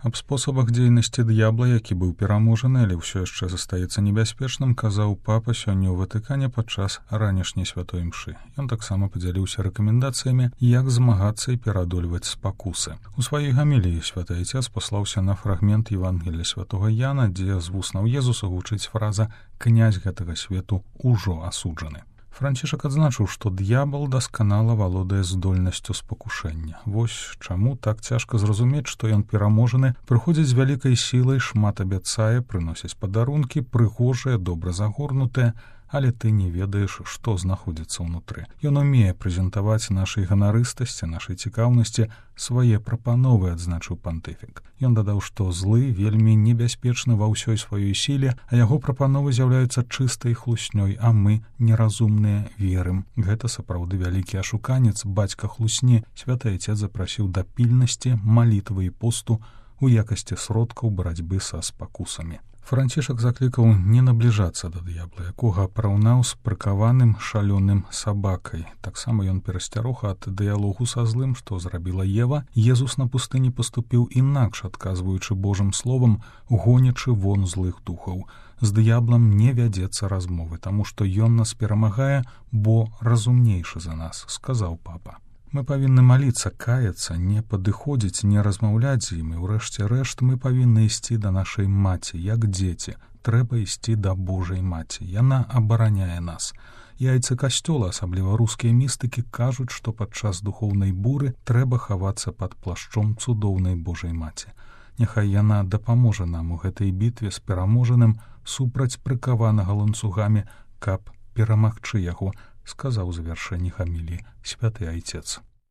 Аб спосабах дзейнасці д'ябла, які быў пераможаны, але ўсё яшчэ застаецца небяспечным, казаў папа сёння ў Ватыкане падчас ранішняй святой імшы. Ён таксама падзяліўся рэкамендацыямі, як змагацца і пераадольваць спакусы. У сваёй гаміліі святы айцец паслаўся на фрагмент Евангелія святога Яна, дзе з вуснаў Езуса гучыць фраза «Князь гэтага свету ўжо асуджаны». Францішак адзначыў, што д'ябал дасканала валодае здольнасцю спакушэння. Вось чаму так цяжка зразумець, што ён пераможаны, прыходзіць з вялікай сілай, шмат абяцае, прыносіць падарункі, прыгожыя, добра загорнутыя, але ты не ведаеш, што знаходзіцца ўнутры. Ён умее прэзентаваць нашай ганарыстасці, нашай цікаўнасці, свае прапановы, адзначыў пантыфік. Ён дадаў, што злы вельмі небяспечны ва ўсёй сваёй сіле, а яго прапановы з'яўляюцца чыстай хлуснёй, а мы, неразумныя, верым. Гэта сапраўды вялікі ашуканец, бацька хлусні. Святы айцец запрасіў да пільнасці, малітвы і посту у якасці сродкаў барацьбы са спакусамі. Францішак заклікаў не набліжацца да д'ябла, якога параўнаў з прыкаваным шалёным сабакай. Таксама ён перасцярог ад дыялогу са злым, што зрабіла Ева. Езус на пустыні паступіў інакш, адказваючы Божым словам, гонячы вон злых духаў. З д'яблам не вядзецца размовы, таму што ён нас перамагае, бо разумнейшы за нас, сказаў папа. Мы павінны маліцца, каяцца, не падыходзіць, не размаўляць з ім, і ўрэшце рэшт мы павінны ісці да нашай маці, як дзеці. Трэба ісці да Божай маці. Яна абараняе нас. Яйцы касцёла, асабліва рускія містыкі, кажуць, што падчас духоўнай буры трэба хавацца пад плашчом цудоўнай Божай маці. Няхай яна дапаможа нам у гэтай бітве з пераможаным супраць прыкаванага ланцугамі, каб перамагчы яго, сказаў у завяршэнні гаміліі святы айцец.